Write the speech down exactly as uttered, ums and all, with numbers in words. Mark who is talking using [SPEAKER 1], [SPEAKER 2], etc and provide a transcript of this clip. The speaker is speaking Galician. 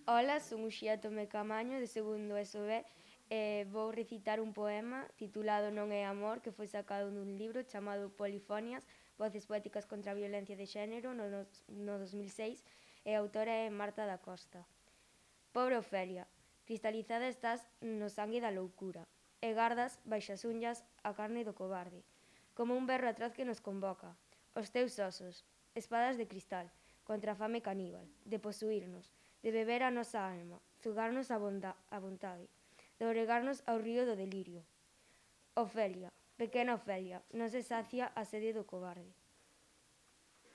[SPEAKER 1] Ola, son Uxía Tome Camaño, de segundo E S O B, e vou recitar un poema titulado Non é amor, que foi sacado dun libro chamado Polifonias, voces poéticas contra a violencia de xénero, no, no dos mil seis, e a autora é Marta da Costa. Pobre Ofelia, cristalizada estás no sangue da loucura, e gardas, baixas unhas, a carne do cobarde, como un berro atroz que nos convoca. Os teus osos, espadas de cristal, contra a fame caníbal, de posuirnos, de beber a nosa alma, zugarnos a, bonda, a vontade, de oregarnos ao río do delirio. Ofelia, pequena Ofelia, non se sacia a sede do cobarde.